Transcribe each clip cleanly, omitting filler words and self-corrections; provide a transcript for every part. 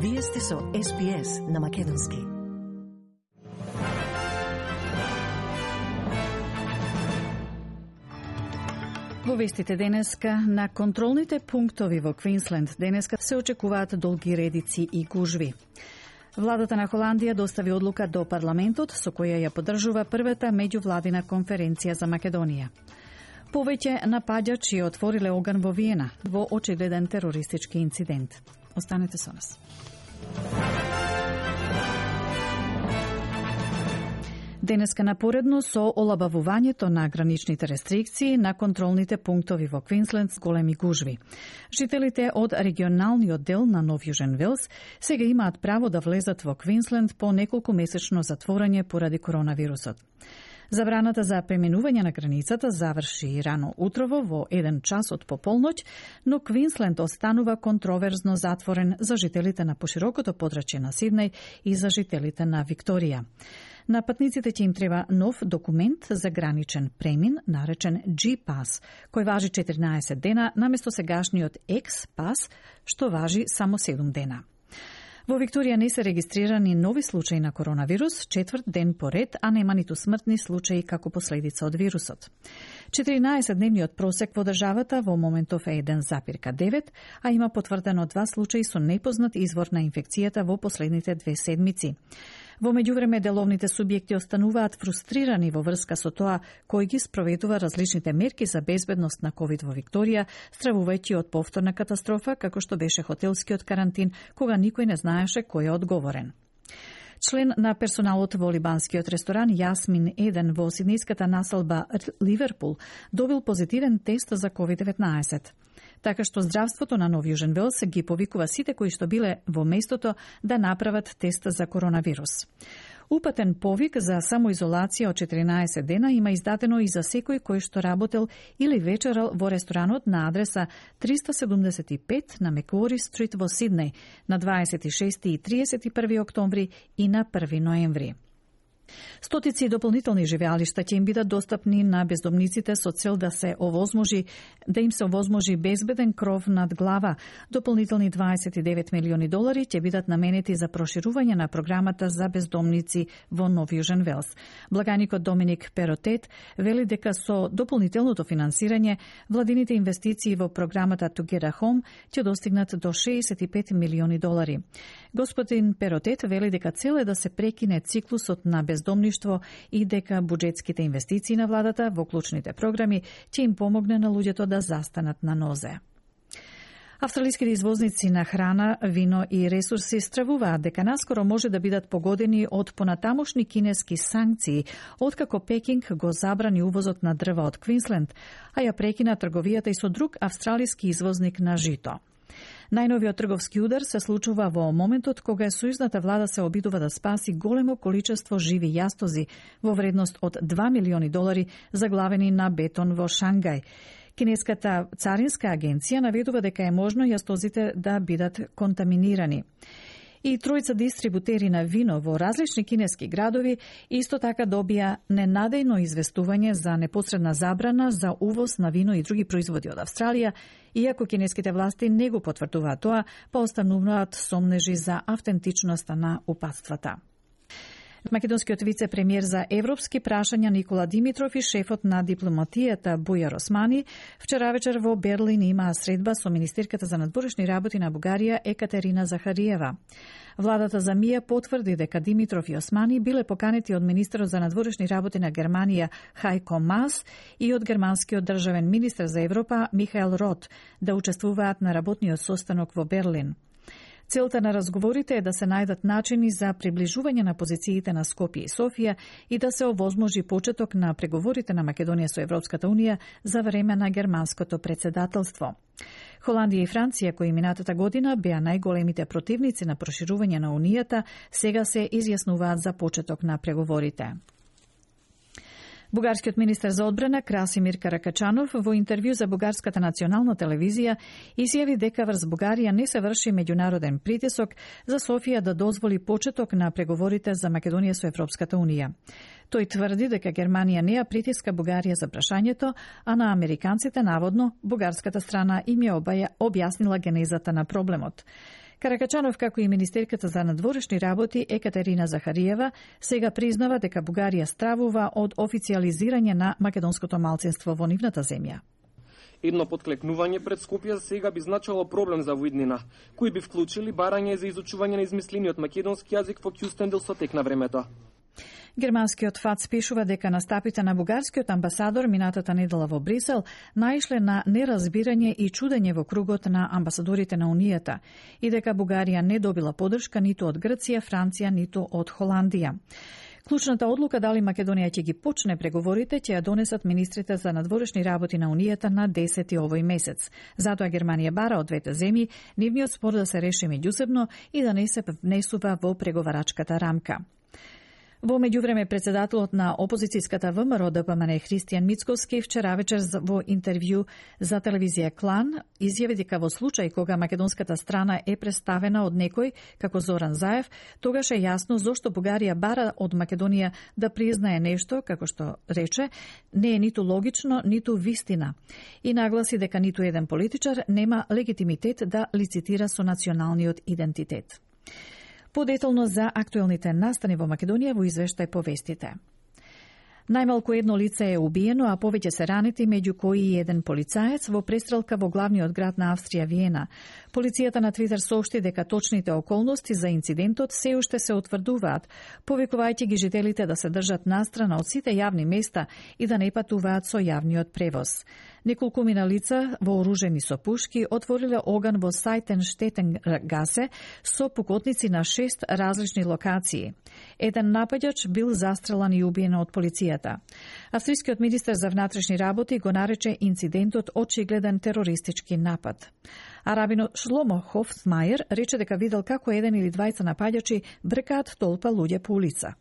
Вие сте со SPS на Македонски. Во вестите денеска, на контролните пунктови во Квинсленд денеска се очекуваат долги редици и гужви. Владата на Холандија достави одлука до парламентот со која ја поддржува првата меѓувладина конференција за Македонија. Повеќе напаѓачи отвориле оган во Виена во очигледен терористички инцидент. Останете со нас. Денеска напоредно со олабавувањето на граничните рестрикции на контролните пунктови во Квинсленд с големи гужви. Жителите од регионалниот дел на Нов Јужен Велс сега имаат право да влезат во Квинсленд по неколку месечно затворање поради коронавирусот. Забраната за преминување на границата заврши рано утрово во 1 час од пополноќ, но Квинсленд останува контроверзно затворен за жителите на поширокото подрачје на Сиднеј и за жителите на Викторија. На патниците ќе им треба нов документ за граничен премин, наречен G-Pass, кој важи 14 дена наместо сегашниот X-Pass, што важи само 7 дена. Во Викторија не се регистрирани нови случаи на коронавирус, 4 ден поред, а нема ниту смртни случаи како последица од вирусот. 14-дневниот просек во државата во моментов е 1,9, а има потврдено 2 случаи со непознат извор на инфекцијата во последните 2 седмици. Во меѓувреме, деловните субјекти остануваат фрустрирани во врска со тоа кој ги спроведува различните мерки за безбедност на ковид во Викторија, стравувајќи од повторна катастрофа, како што беше хотелскиот карантин, кога никој не знаеше кој е одговорен. Член на персоналот во либанскиот ресторан Јасмин Еден во сиднејската населба Ливерпул добил позитивен тест за COVID-19. Така што здравството на Нов Јужен Велс ги повикува сите кои што биле во местото да направат тест за коронавирус. Упатен повик за самоизолација од 14 дена има издадено и за секој кој што работел или вечерал во ресторанот на адреса 375 на Мекуори Стрит во Сиднеј на 26 и 31 октомври и на 1 ноември. Стотици дополнителни живеалишта ќе им бидат достапни на бездомниците со цел да им се овозможи безбеден кров над глава. Дополнителни $29 милиони ќе бидат наменети за проширување на програмата за бездомници во Нов Јужен Велс. Благаникот Доминик Перотет вели дека со дополнителното финансирање владините инвестиции во програмата To Get a Home ќе достигнат до $65 милиони. Господин Перотет вели дека цел е да се прекине циклусот на бездомништво и дека буџетските инвестиции на владата во клучните програми ќе им помогне на луѓето да застанат на нозе. Австралиските извозници на храна, вино и ресурси стравуваат дека наскоро може да бидат погодени од понатамошни кинески санкции, откако Пекинг го забрани увозот на дрва од Квинсленд, а ја прекина трговијата и со друг австралиски извозник на жито. Најновиот трговски удар се случува во моментот кога сојузната влада се обидува да спаси големо количество живи јастози во вредност од $2 милиони заглавени на бетон во Шангај. Кинеската царинска агенција наведува дека е можно јастозите да бидат контаминирани. И тројца дистрибутери на вино во различни кинески градови исто така добија ненадејно известување за непосредна забрана за увоз на вино и други производи од Австралија, иако кинеските власти не го потврдуваат тоа, па остануваат сомнежи за автентичноста на упатствата. Македонскиот вице-премиер за европски прашања Никола Димитров и шефот на дипломатијата Бујар Османи вчера вечер во Берлин имаа средба со министерката за надворешни работи на Бугарија Екатерина Захариева. Владата за МИА потврди дека Димитров и Османи биле поканети од министерот за надворешни работи на Германија Хајко Мас и од германскиот државен министер за Европа Михаел Рот да учествуваат на работниот состанок во Берлин. Целта на разговорите е да се најдат начини за приближување на позициите на Скопје и Софија и да се овозможи почеток на преговорите на Македонија со Европската Унија за време на германското председателство. Холандија и Франција, кои минатата година беа најголемите противници на проширување на Унијата, сега се изјаснуваат за почеток на преговорите. Бугарскиот министер за одбрана Красимир Каракачанов во интервју за Бугарската национална телевизија изјави дека врз Бугарија не се врши меѓународен притисок за Софија да дозволи почеток на преговорите за Македонија со Европската Унија. Тој тврди дека Германија не ја притиска Бугарија за прашањето, а на американците наводно бугарската страна им ја објаснила генезата на проблемот. Каракачанов, како и министерката за надворешни работи Екатерина Захариева, сега признава дека Бугарија стравува од официализирање на македонското малцинство во нивната земја. Едно подклекнување пред Скопје сега би значило проблем за воиднина, кои би вклучили барање за изучување на измислениот македонски јазик во Кјустендил со тек на времето. Германскиот ФАЦ пишува дека настапите на бугарскиот амбасадор минатата недела во Брисел наишле на неразбирање и чудење во кругот на амбасадорите на Унијата и дека Бугарија не добила поддршка ниту од Грција, Франција, ниту од Холандија. Клучната одлука дали Македонија ќе ги почне преговорите ќе ја донесат министрите за надворешни работи на Унијата на 10 овој месец. Затоа Германија бара од двете земји нивниот спор да се реши меѓусебно и да не се внесува во преговарачката рамка. Во меѓувреме, председателот на опозицијската ВМРО ДПМН Христијан Мицковски вчера вечер во интервју за телевизија Клан изјави дека во случај кога македонската страна е представена од некој како Зоран Заев, тогаш е јасно зошто Бугарија бара од Македонија да признае нешто, како што рече, не е ниту логично, ниту вистина. И нагласи дека ниту еден политичар нема легитимитет да лицитира со националниот идентитет. Подетално за актуелните настани во Македонија во извештај по вестите. Најмалку едно лице е убиено, а повеќе се ранети, меѓу кои и еден полицаец во престрелка во главниот град на Австрија, Виена. Полицијата на Твитер соопшти дека точните околности за инцидентот се уште се утврдуваат, повикувајќи ги жителите да се држат настрана од сите јавни места и да не патуваат со јавниот превоз. Неколкумина лица вооружени со пушки отвориле оган во Сајтенштетенгасе со пукотници на 6 различни локации. Еден напаѓач бил застрелан и убиен од полицијата. Австрискиот министер за внатрешни работи го нарече инцидентот очигледен терористички напад. А рабино Шломо Хофсмајер рече дека видел како еден или двајца напаѓачи бркаат толпа луѓе по улица.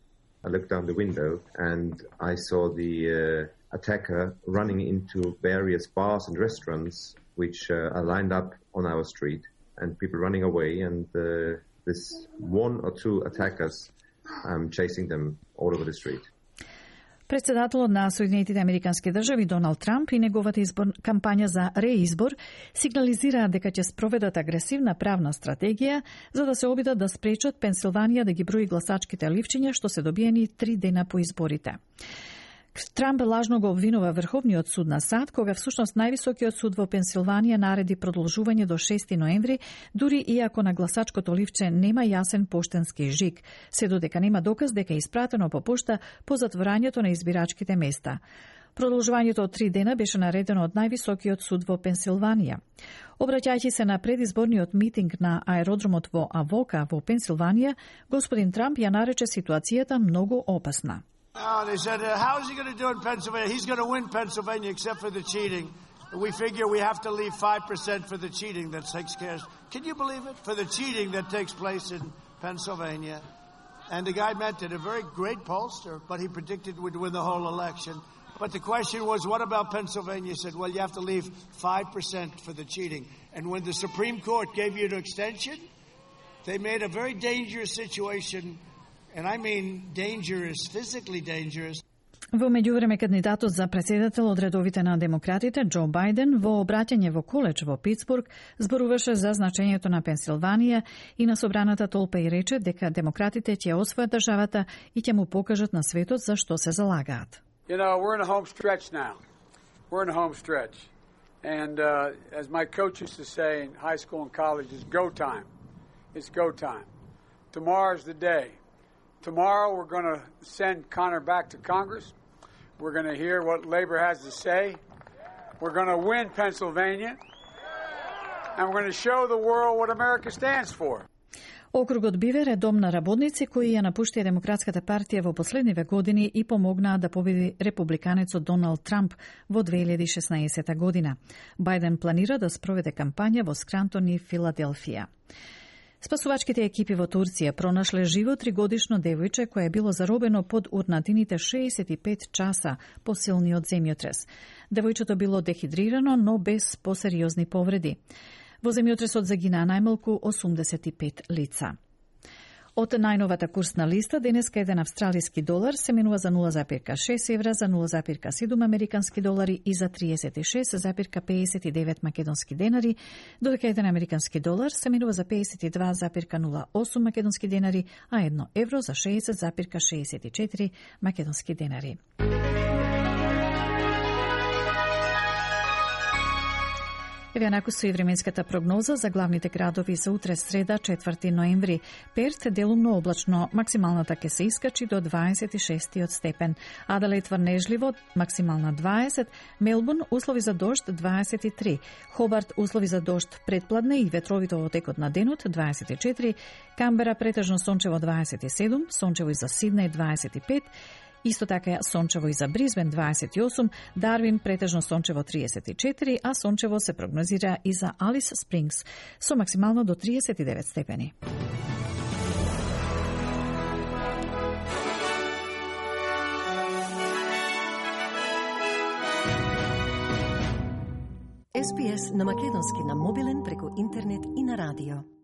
I looked down the window and I saw the attacker running into various bars and restaurants which are lined up on our street and people running away and this one or two attackers chasing them all over the street. Председателот на Соединетите Американски држави Доналд Трамп и неговата кампања за реизбор сигнализираат дека ќе спроведат агресивна правна стратегија за да се обидат да спречат Пенсилванија да ги брои гласачките ливчиња што се добиени 3 дена по изборите. Трамп лажно го обвинува Врховниот суд на САД, кога всушност највисокиот суд во Пенсилванија нареди продолжување до 6 ноември, дури иако на гласачкото ливче нема јасен поштенски жиг, се додека нема доказ дека е испратено по пошта по затворањето на избирачките места. Продолжувањето од 3 дена беше наредено од највисокиот суд во Пенсилванија. Обраќајќи се на предизборниот митинг на аеродромот во Авока во Пенсилванија, господин Трамп ја нарече ситуацијата многу опасна. They said, how is he going to do it in Pennsylvania? He's going to win Pennsylvania except for the cheating. We figure we have to leave 5% for the cheating that takes care. Can you believe it? For the cheating that takes place in Pennsylvania. And the guy meant it, a very great pollster, but he predicted we'd win the whole election. But the question was, what about Pennsylvania? He said, well, you have to leave 5% for the cheating. And when the Supreme Court gave you an extension, they made a very dangerous situation. And I mean dangerous, physically dangerous. Во меѓувреме, кандидатот за председател од редовите на демократите, Џо Бајден, во обраќање во коледж во Питсбург, зборуваше за значењето на Пенсилванија и на собраната толпа и рече дека демократите ќе освојат државата и ќе му покажат на светот за што се залагаат. You know, we're in a home stretch now. We're in a home stretch. And as my coach used to say in high school and college, it's go time. It's go time. Tomorrow's the day. Tomorrow we're going to send Connor back to Congress. We're going to hear what Labor has to say. We're going to win Pennsylvania. And we're going to show the world what America stands for. Округот Бивер е дом на работници кои ја напуштија Демократската партија во последниве години и помогнаа да победи републиканецот Доналд Трамп во 2016 година. Бајден планира да спроведе кампања во Скрантон и Филаделфија. Спасувачките екипи во Турција пронашле живо 3-годишно девојче кое било заробено под урнатините 65 часа по силниот земјотрес. Девојчето било дехидрирано, но без посериозни повреди. Во земјотресот загинаа најмалку 85 лица. Од најновата курсна листа, денеска еден австралиски долар се менува за 0,6 евра, за 0,7 американски долари и за 36,59 македонски денари, додека еден американски долар се менува за 52,08 македонски денари, а 1 евро за 60,64 македонски денари. Еве онаку со и временската прогноза за главните градови за утре среда 4 ноември. Перт делумно облачно, максималната ќе се искачи до 26 степен. Аделаид врнежливо, максимална 20, Мелбурн услови за дожд 23, Хобарт услови за дожд предпладне и ветровито во текот на денот 24, Камбера претежно сончево 27, сончево и за Сиднеј 25, исто така сончево и за Бризбен 28, Дарвин претежно сончево 34, а сончево се прогнозира и за Алис Спрингс со максимално до 39 степени. SPS на македонски на мобилен преку интернет и на радио.